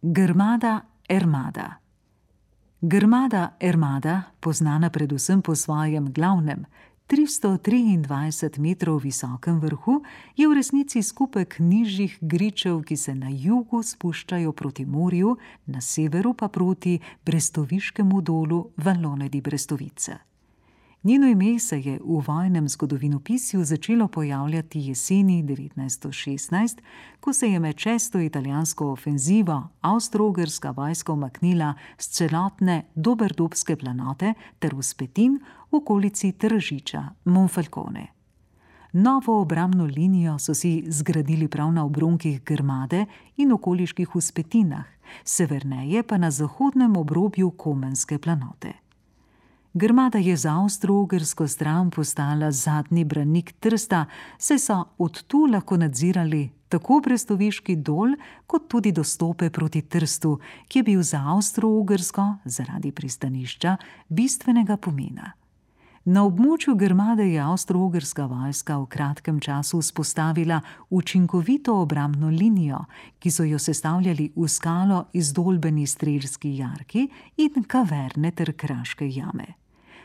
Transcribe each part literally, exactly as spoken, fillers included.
Grmada Ermada. Grmada Ermada, poznana predvsem po svojem glavnem, tristo triindvajset metrov visokem vrhu, je v resnici skupek nižjih gričev, ki se na jugu spuščajo proti morju, na severu pa proti brestoviškemu dolu Vallone di Brestovica. Njeno ime se je v vojnem zgodovinopisju začelo pojavljati jeseni devetnajststo šestnajst, ko se je med šesto italijansko ofenzivo avstro-ogrska vojska umaknila s celotne Doberdobske planote ter vzpetin v okolici Tržiča, Monfalcone. Novo obrambno linijo so si zgradili prav na obronkih Grmade in okoliških vzpetinah, severneje pa na zahodnem obrobju Komenske planote. Grmada je za avstro-ogrsko stran postala zadnji branik Trsta, saj so od tu lahko nadzirali tako Brestoviški dol, kot tudi dostope proti Trstu, ki je bil za Avstro-Ogrsko zaradi pristanišča bistvenega pomena. Na območju Grmade je avstro-ogrska vojska v kratkem času vzpostavila učinkovito obrambno linijo, ki so jo sestavljali v skalo izdolbeni strelski jarki in kaverne ter kraške jame.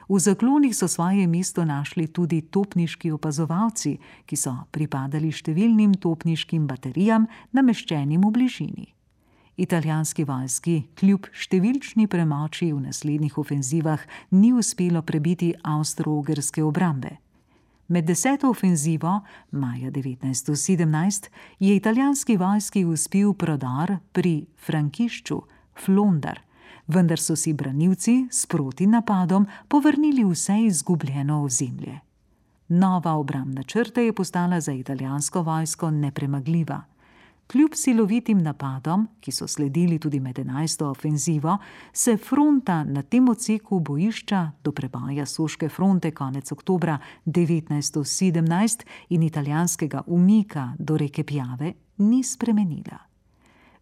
V zaklonih so svoje mesto našli tudi topniški opazovalci, ki so pripadali številnim topniškim baterijam, nameščenim v bližini. Italijanski vojski kljub številčni premoči v naslednjih ofenzivah ni uspelo prebiti avstro-ogrske obrambe. Med deseto ofenzivo, maja devetnajststo sedemnajst, je italijanski vojski uspel prodor pri Frankišču, Flondar, vendar so si branilci s protinapadom povrnili vse izgubljeno ozemlje. Nova obrambna črta je postala za italijansko vojsko nepremagljiva. Kljub silovitim napadom, ki so sledili tudi med enajsto ofenzivo, se fronta na tem odseku bojišča do preboja Soške fronte konec oktobra devetnajststo sedemnajst in italijanskega umika do reke Piave ni spremenila.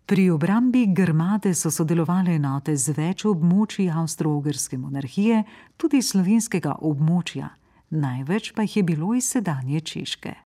Pri obrambi Grmade so sodelovale enote z več območij avstro-ogrske monarhije, tudi slovenskega območja, največ pa jih je bilo iz sedanje Češke.